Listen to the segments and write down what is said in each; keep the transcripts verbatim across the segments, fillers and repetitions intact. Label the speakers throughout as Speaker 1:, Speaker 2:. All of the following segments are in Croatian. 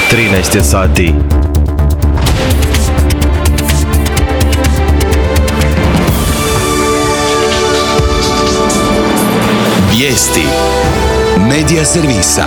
Speaker 1: trinaest je sati.
Speaker 2: Vijesti Medija servisa.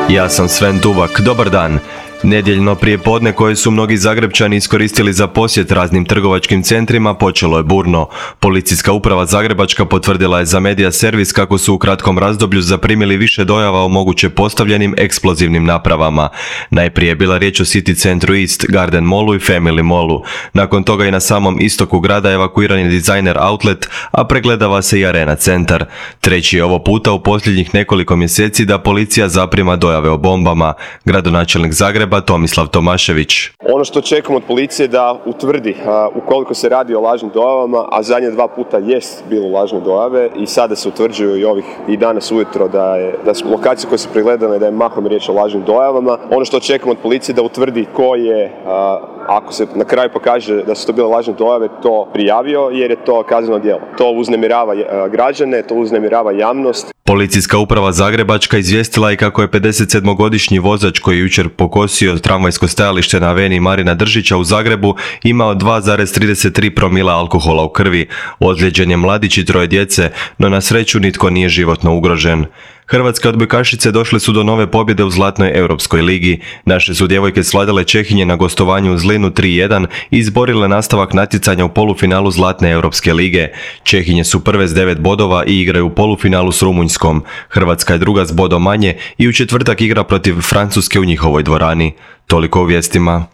Speaker 1: Ja sam Sven Tuvak, dobar dan. Nedjeljno prijepodne koje su mnogi Zagrepčani iskoristili za posjet raznim trgovačkim centrima počelo je burno. Policijska uprava Zagrebačka potvrdila je za Medija servis kako su u kratkom razdoblju zaprimili više dojava o moguće postavljenim eksplozivnim napravama. Najprije je bila riječ o City centru East, Garden Mallu i Family Mallu. Nakon toga i na samom istoku grada evakuiran je Designer Outlet, a pregledava se i Arena centar. Treći je ovo puta u posljednjih nekoliko mjeseci da policija zaprima dojave o bombama. Gradonačelnik Zagreba Tomislav Tomašević.
Speaker 3: Ono što čekamo od policije da utvrdi a, ukoliko se radi o lažnim dojavama, a zadnje dva puta jest bilo lažne dojave i sada se utvrđuju i ovih i danas ujutro da je da su lokacije koje su pregledane da je mahom riječ o lažnim dojavama. Ono što čekamo od policije da utvrdi ko je, a, ako se na kraju pokaže da su to bile lažne dojave, to prijavio jer je to kazneno djelo. To uznemirava a, građane, to uznemirava javnost.
Speaker 1: Policijska uprava Zagrebačka izvijestila je kako je pedesetsedmogodišnji vozač koji je jučer pokosio tramvajsko stajalište na aveniji Marina Držića u Zagrebu imao dva zarez trideset tri promila alkohola u krvi. Ozlijeđen je mladić i troje djece, no na sreću nitko nije životno ugrožen. Hrvatske odbojkašice došle su do nove pobjede u Zlatnoj Europskoj ligi. Naše su djevojke svladale Čehinje na gostovanju u Zlinu tri jedan i izborile nastavak natjecanja u polufinalu Zlatne Europske lige. Čehinje su prve s devet bodova i igraju u polufinalu s Rumunjskom. Hrvatska je druga s bodom manje i u četvrtak igra protiv Francuske u njihovoj dvorani. Toliko u vijestima.